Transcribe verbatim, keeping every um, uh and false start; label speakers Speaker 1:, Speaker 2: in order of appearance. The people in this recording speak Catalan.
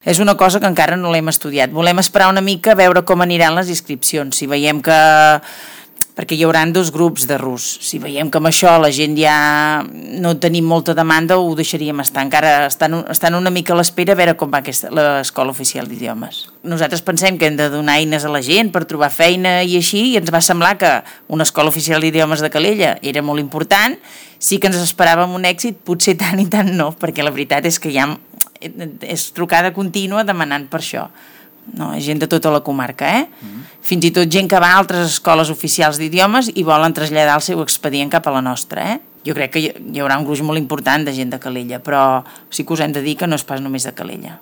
Speaker 1: És una cosa que encara no l'hem estudiat. Volem esperar una mica a veure com aniran les inscripcions. Si veiem que... perquè hi haurà dos grups de rus. Si veiem que amb això la gent ja no tenim molta demanda, ho deixaríem estar. Encara estan, estan una mica a l'espera a veure com va aquesta, l'Escola Oficial d'Idiomes. Nosaltres pensem que hem de donar eines a la gent per trobar feina i així, i ens va semblar que una Escola Oficial d'Idiomes de Calella era molt important. Sí que ens esperàvem un èxit, potser tant i tant no, perquè la veritat és que ja és trucada contínua demanant per això. No, gent de tota la comarca, eh? Mm-hmm. Fins i tot gent que va a altres escoles oficials d'idiomes i volen traslladar el seu expedient cap a la nostra, eh? Jo crec que hi haurà un gruix molt important de gent de Calella, però sí que us hem de dir que no és pas només de Calella.